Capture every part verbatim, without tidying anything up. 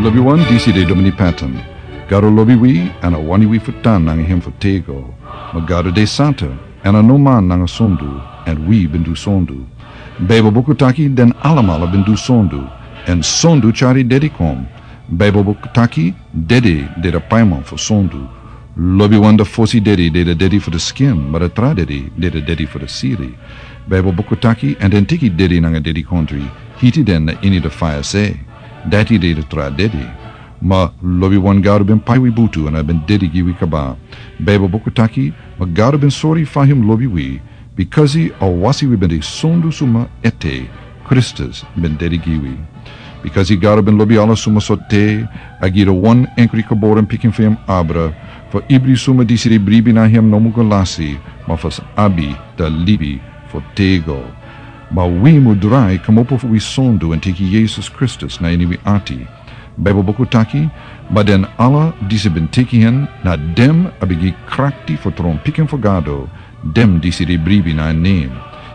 Lobi wan, disi de Domini Patton. Gado lobi wi, èn a wani wi fu tan nanga hem fu tego. Ma Gado de santa, èn a no man nanga sondu, èn wi ben du sondu. Baibel buku taki den alamala ben du sondu, èn sondu tyari dedi kon. Baibel buku taki dedi de da paiman fu sondu. Lobi wan, da fosi dedi de da dedi fu da skin, ma da tra dedi de da dedi fu da siri. Baibel buku taki, èn den teki dedi nanga dedikontri, hiti den na ini da faya se. Dati de da tra dedi. Ma lobi wan, Gado ben pai wi butu èn a ben dedi gi wi kaba. Baibel buku taki, ma Gado ben sori fa hem lobi wi, bikasi a wasi wi ben de sondu suma ete, Kristus ben dedi gi wi. Bikasi Gado ben lobi ala suma so te, a gi da wan enkri geboren pikin fu hem abra, fu ibri suma disi de bribi na hem no mu go lasi, ma fu sa abi da libi fu tego. Ma wi mu drai kmopo fu wi sondu èn teki Yesus Kristus na ini wi ati. Baibel buku taki, ma den ala disi ben teki hen, na dem a ben gi krakti fu tron pikin fu Gado, dem disi de bribi na en nem.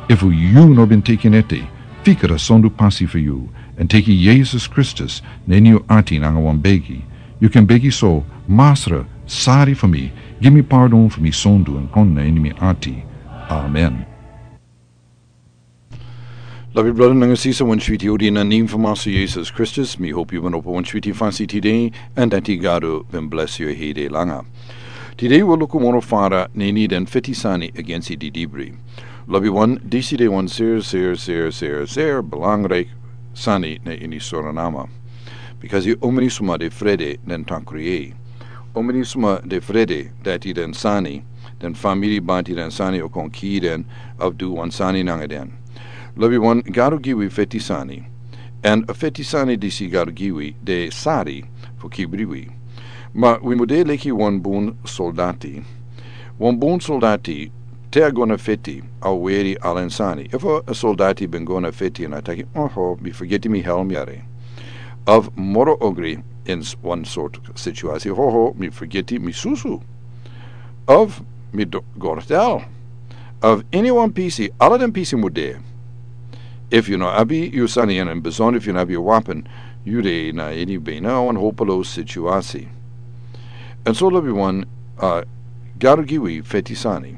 Efu yu no ben teki en ete, fika da sondu pasi fu yu, èn teki Yesus Kristus na ini yu ati nanga wan begi. Yu kan begi so: Masra, sari fu mi, gi mi pardon fu mi sondu èn kon na ini mi ati. Amen. Lobi brada nanga sisa, wan switi odi na nem fu Masra Yesus Kristus. Mi hopi yu ben opo wan switi fasi tide, èn dati Gado ben blesi yu hede langa. Tide wi luku moro fara na ini den feti sani agensi didibri. Lobi wan, disi de wan ser, ser, ser, ser, ser belangrijk sani na ini Suriname. Bikasi omeni suma de frede den takri. Omeni suma de frede dati den sani, den famiri bati den sani o kon kii den, of du wan sani nanga den. Lobi wan, Gado gi wi feti sani. Èn a feti sani disi Gado gi wi de sari fu kibri wi. Ma wi mu de leki wan bun soldati. Wan bun soldati, te a go na feti, a weri ala en sani. Efu a soldati ben go na feti èn a taki: "Oho, mi fergeti mi helm yere." Of moro ogri, in s-, wan sort situasi: "Oho, mi fergeti mi susu." Of mi do-, gortel. Of ini wan pisi, ala den pisi mu de. Efu yu no abi yu sani, èn in besonder efu yu no abi yu wapen, yu de na ini bina wan hopelosi situasi. Èn so lobi wan, a, Gado gi wi feti sani.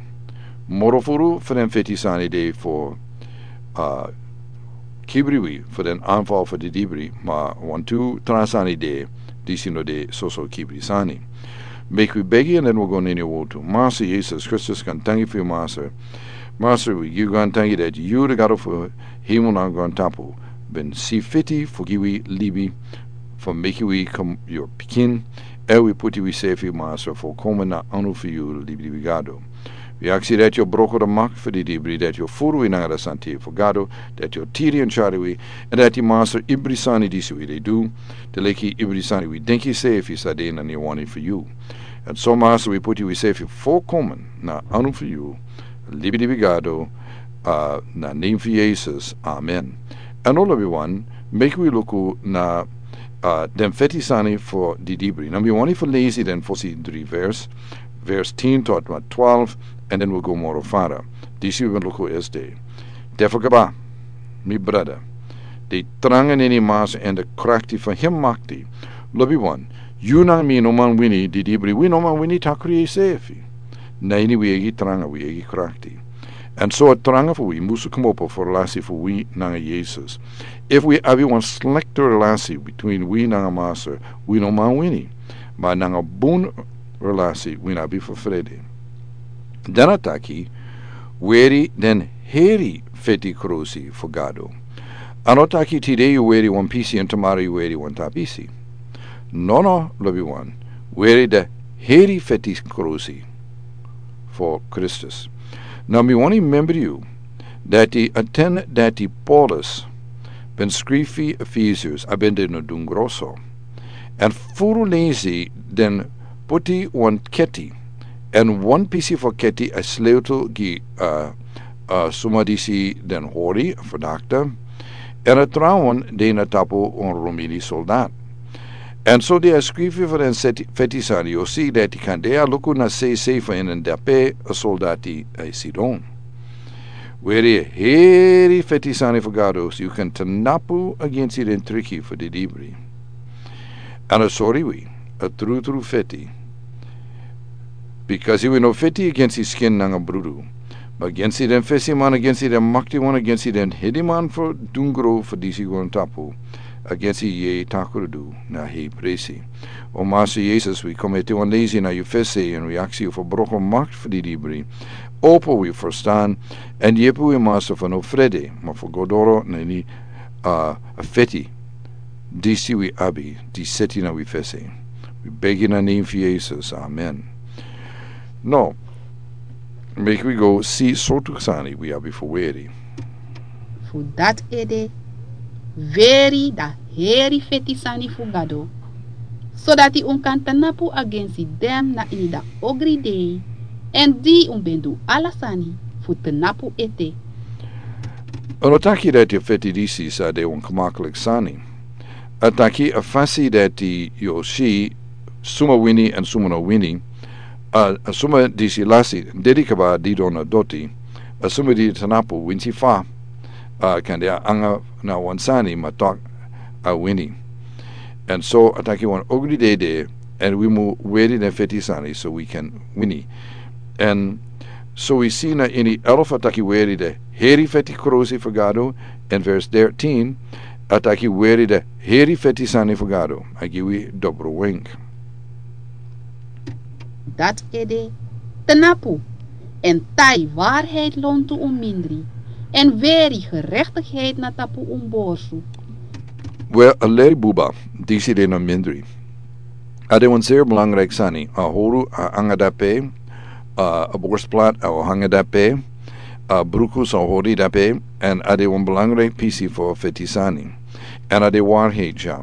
Moro furu fu den feti sani de fu, a, kibri wi fu den anval fu didibri, ma wantu tra sani de disi no de soso kibri sani. Meki wi begi èn den wi go na ini wotu. Masra Yesus Kristus, gaantangi fu yu, Masra. Masra, wi gi yu gaantangi dati yu, di Gado fu hemel nanga grontapu, ben si fiti fu gi wi libi, fu meki wi kon yu pikin, èn wi puti wi sefi, Masra, fu kon na anu fu yu, libilibi Gado. Wi aksi dati yu o broko da makti fu didibri, dati yu o furu wi nanga da sante fu Gado, dati yu o tiri èn tyari wi, èn dati, Masra, ibri sani disi wi de du, de leki ibri sani wi denki sefi sa de na ini wani fu yu. Èn so, Masra, wi puti wi sefi fu kon na anu fu yu, libilibi Gado, a, na nem fu Yesus. Amen. Èn now lobi wan, meki wi luku na, a, den feti sani fu didibri. Now mi wani fu lesi den fosi dri vers, vers tin tot na twelve, èn den wi go moro fara. Disi wi ben luku esde. Dati fu kaba, mi brada, de tranga na ini Masra èn de krakti fu hem makti. Lobi wan, yu nanga mi no man wini didibri, wi no man wini takri sefi. Na ini wi eigi tranga, wi eigi krakti. Èn so a tranga fu wi musu kmopo fu relasi fu wi nanga Yesus. Efu wi abi wan slekte relasi bitwin wi nanga Masra, wi no man wini. Ma nanga bun relasi wi no abi fu frede. Dan a taki, weri den heri feti krusi fu Gado. A no taki tide yu weri wan pisi èn tumoro yu weri wan tra pisi. Nono, lobi wan, weri da heri feti krusi fu Kristus. Now mi wani membri yu dati a ten dati Paulus ben skrifi Efesius, a ben de na dungro so. Èn furu lesi den puti wan keti, èn wan pisi fu keti a sleutel gi, a, a, suma disi den hori fu dakta, èn a trawan de na tapu wan Romini soldat. Èn so di a skrifi fu den seti-, feti sani, yu o si dati kande a luku na sei sei fu en èn dape a soldati a sidon. Weri heri feti sani fu Gado, so yu kan tnapu agensi den triki fu didibri. Èn a sori wi, a trutru feti. Bikasi wi no feti agensi skin nanga brudu, ma agensi den fesiman, agensi den maktiwan, agensi den hediman fu dungro fu disi grontapu, agensi yeye takrudu na hei presi. O Master Jesus, wi kon ete wan leisi na yu fesi èn wi aksi yu fu broko makti fu didibri. Opo wi ferstan, èn yepi wi, Master, fu no frede, ma fu go doro na ini a feti disi wi abi di seti na wi fesi. Wi begi na nen fu Jesus. Amen. No, meki wi go si sortu sani wi abi fu weri. Fu dati ede, weri dan heri feti sani fu Gado, sodati un kan tnapu agensi den na ini dan ogri dei, èn di un ben du ala sani fu tnapu ete. A no taki dati a feti disi sa de wan kmakliki sani. A taki a fasi dati yu o si suma wini èn suma no wini. A, a suma disi lasi, dede kaba, didon na doti. A suma di tnapu winsi fa, a, kande a anga na wan sani, ma tok a wini. Èn so a taki wan ogri dei de, èn wi mu weri den feti sani so wi kan wini. Èn so wi si na ini elfu a taki weri den heri feti krosi fu Gado, èn vers dertien a taki weri den heri feti sani fu Gado. A gi wi dobru wenk. Dati ede, tnapu, èn tai waarheid lontu un mindri, èn weri gerechtigheid na tapu un borsu. Wel, a leri buba, disi de na mindri. A de wan zeer belangrijk sani. A howru a anga dape, a, a borstplat a o anga dape, a bruku sa hori dape, èn a de wan belangrijk pisi fu feti sani. Èn a de waarheid, ya.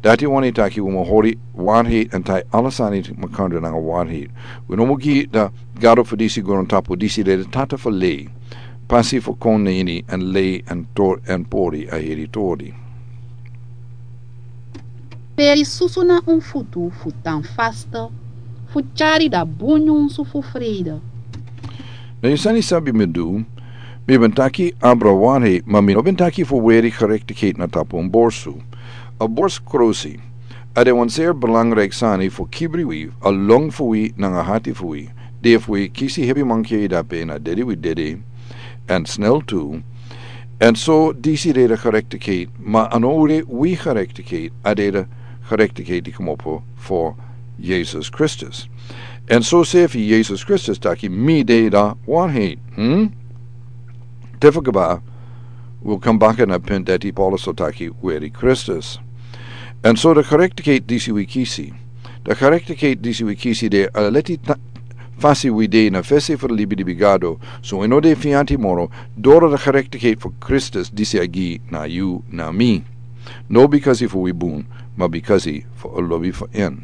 Dati wani taki wi mu hori waarheid èn tai ala sani makandra nanga waarheid. Wi no mu gi dan Gado fu disi grontapu, disi de de tata fu lei, pasi fu kon na ini èn lei èn tor èn pori a heri tori. Peri susu na un futu fu tan fasta, fu tyari dan bun nyunsu fu frede. Na yu sani sabi mi du, mi ben taki abra wari, ma mi no ben taki fu weri gerechtigheid na tapu un borsu. A borsu krosi, a de wan zeer belangrijk sani fu kibri wi, a long fu wi nanga hati fu wi. Di efu wi kisi hebi mankeri dape na dede wi dede, èn snel tu. Èn so disi de de gerechtigheid, ma a no de wi gerechtigheid, a de de gerechtigheid di komopo fu Jesus Kristus. Èn so sefi Jesus Kristus taki mi de de waarheid. Hmm? Tefakaba, wi o kon baka na punt dati Paulus o taki weri Kristus. Èn so de gerechtigheid disi wi kisi. De gerechtigheid disi wi kisi de a leti ta-, fasi wi de na fesi fu de libi di bigado. So wi no de fianti moro, doro de gerechtigheid fu Kristus disi a gi na yu na mi. No bikasi fu wi bun, ma bikasi fu a lobi fu en.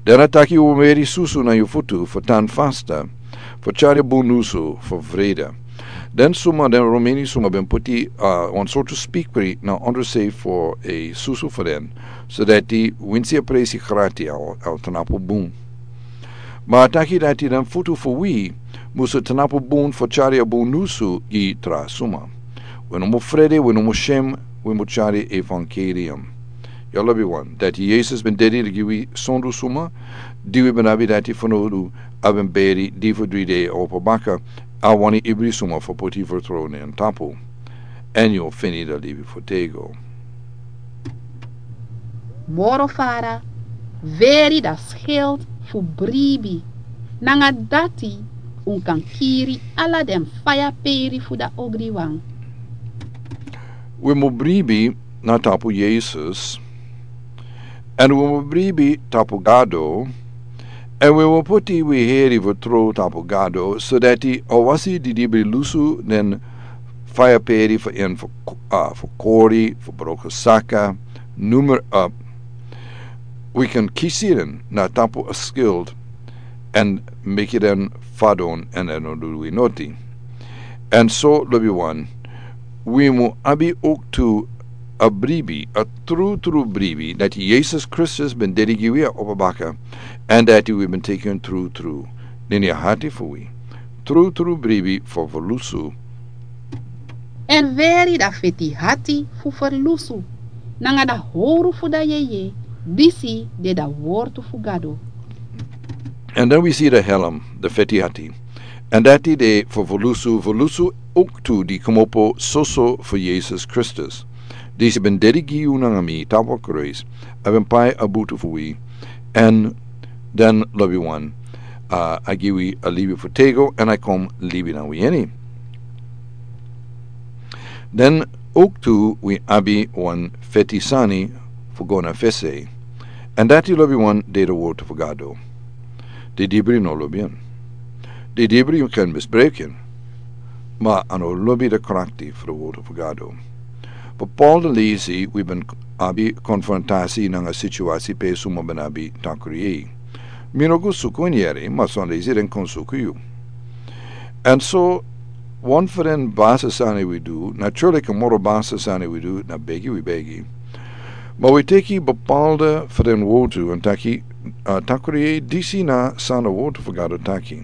Dan a taki wi mu weri susu na yu futu fu tan fasta, fu tyari a bun nyunsu fu frede. Den suma, den Romeni suma ben poti, a, wan sortu spikri na ondro sei fu a susu fu den, so dati winsi a presi grati a o, a o tnapu bun. Ma a taki dati den futu fu wi musu tnapu bun fu tyari a bun nyunsu gi tra suma. Wi no mu frede, wi no mu shem, wi mu tyari evangelium. Yu lobiwan, dati Jesus ben dede gi wi sondu suma, di wi ben abi dati fanowdu, a ben beri, di fu dri dei a opo baka, a wani ibri suma fu poti fertrow na en tapu. Èn yu o feni dan libi fu tego. Moro fara, weri dan schild fu bribi, nanga dati un kan kiri ala den faya peri fu dan ogriwan. Wi mu bribi na tapu Jesus, èn wi mu bribi tapu Gado, èn wi mu poti wi heri fu trow tapu Gado, so dati a wasi didibri lusu den faya peri fu en fu, a, fu kori, fu broko saka, noem maar op. Wi kan kisi den na tapu a schild, èn meki den fadon èn den no du wi noti. Èn so, lobiwan, wi mu abi ook tu a bribi, a trutru bribi, dati Jesus Kristus ben dede gi wi a opo baka, èn dati wi ben teki en trutru na ini a hati fu wi. Trutru bribi fu ferlusu. Èn weri dan feti hati fu ferlusu, nanga dan howru fu dan yeye, Disi de da wortu fu Gado. Èn dan wi si de helm, de feti ati. Èn dati de fu volusu, volusu owktu di kmopo soso fu Yesus Kristus. Disi ben dedi gi yu nanga mi tapu a kruis, a ben pai a butu fu wi. Èn dan lobi wan, a, a gi wi a libi fu tego, èn a kon libi na wi ini. Dan owktu wi abi wan feti sani fu go na fesi. Èn dati lobi wan de de wortu fu Gado. Di dibri no lobi en. Di dibri yu kan misbruik en. Ma a no lobi de krakti fu de wortu fu Gado. Bepaalde leisi wi ben abi konfrontasi nanga situasi pe suma ben abi takru yei. Mi no go suku en yere, ma son leisi den kon suku yu. Èn so, wan fu den basi sani wi du, naturlik a moro basi sani wi du, na begi wi begi. Ma wi teki bepaalde fu den wortu, èn taki, a, takru yei disi na san a wortu fu Gado taki.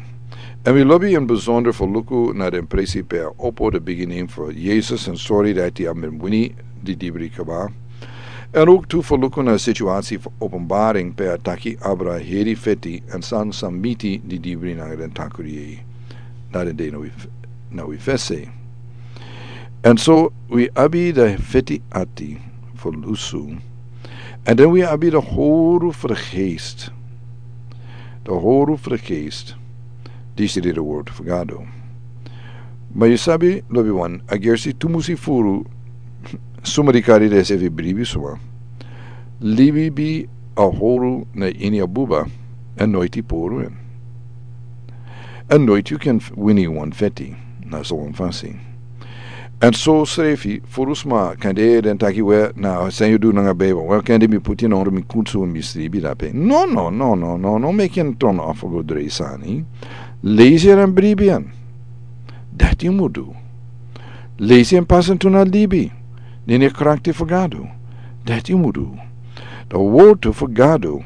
Èn wi lobi in besonder fu luku na den presi pe a opo de bigin fu Yesus èn sori dati a ben wini di dibri kaba. Èn owktu fu luku na situasi fu Openbaring pe a taki abra heri feti èn san san miti di dibri nanga den takru yei. Na den de na wi f-, na wi fesi. Èn so wi abi de feti ati fu lusu. Èn dan wi abi de howru fu de geest. De howru fu de geest. Disi de de wortu fu Gado. Ma yu sabi, lobi wan, a gersi tumusi furu, suma di kari den sefi bribi suma. Libi a howru na ini a buba, èn noiti puru en. Èn noiti yu kan f-, wini wan feti, na so wan fasi. Èn so srefi, furu sma, kande den taki we, na san yu du nanga Bijbel, we kande mi puti na ondro mi kunsu mi sribi dape. No, no, no, no, no, no, meki en turn off go drei sani. Leisi en èn bribi en. Dati yu mu du. Leisi en pasi en tu na libi. Na ini a krakti fu Gado. Dati yu mu du. De wortu fu Gado.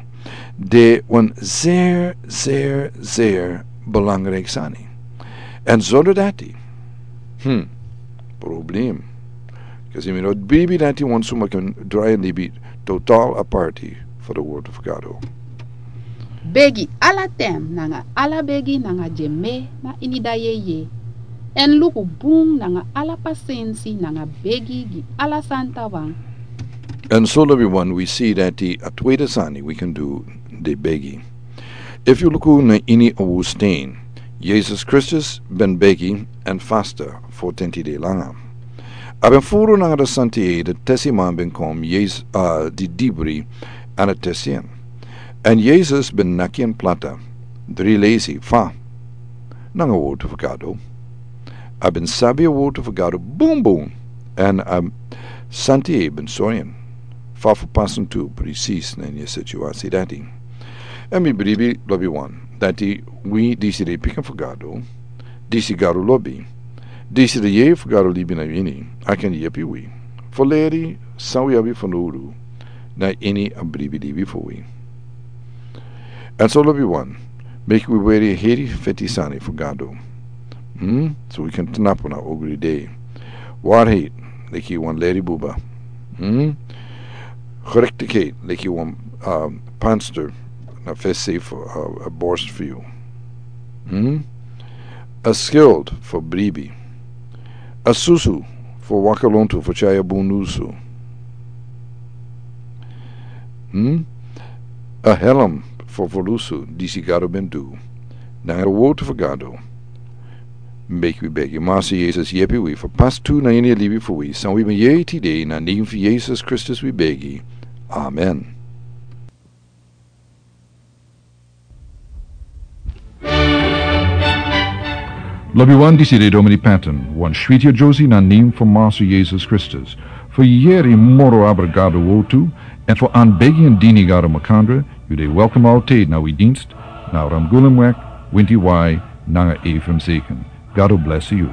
De wan zeer, zeer, zeer belangrijk sani. Èn zonder dati. Hmm. Problem. Kasi mi no bribi dati wan suma kan drai en libi total aparti fu de wortu fu Gado. Begi ala ten nanga ala begi nanga dyeme na ini da yeye. Èn luku bun nanga ala pasensi nanga begi gi ala santa wan. Èn so lobi wan wi si dati a tweede sani wi kan du de begi. Efu yu luku na ini a woestijn, Yesus Kristus ben begi èn fasta fu tenti dei langa. A ben furu nanga de santa yei, de tesi man ben kon, Yesus, a, di dibri èn a tesi en. Èn Yesus ben naki en plata, dri leisi fa, nanga wortu fu Gado. A ben sabi a wortu fu Gado bun bun, èn a santa yei ben sori en fa fu pasi en tu presis na ini a situasi dati. Èn mi bribi lobi wan, dati wi disi de pikin fu Gado, disi Gado lobi, disi de yeye fu Gado libi na ini, a kan yepi wi fu leri san wi abi fanowdu na ini a bribi libi fu wi. Èn so lobi wan, meki wi weri heri feti sani fu Gado. Hmm? So wi kan tnapu na ogri dei. Waarheid, leki wan leri buba. Hmm? Gerechtigheid, leki wan, um, panster na fesi fu, uh, a borst fu yu. Hmm? A schild fu bribi. A susu fu waka lontu fu tyari a bun nusu. Hmm? A helm fu volusu disi Gado ben du. Nanga a wortu fu Gado. Meki wi begi Massa Yesus yepi wi fu pasi tu na ini a libi fu wi. San wi ben yere tide na nen fu Yesus Kristus wi begi. Amen. Lobi wan, disi de Domini Patton, wan switi a Josi na nen fu Massa Yesus Kristus. Fu yere moro abra Gado wortu, èn fu anbegi èn dini Gado makandra, yu de welkom altijd na wi dienst, na Ramgulumweg, winti wai, nanga Ephraim Zeken. Gado blesi yu.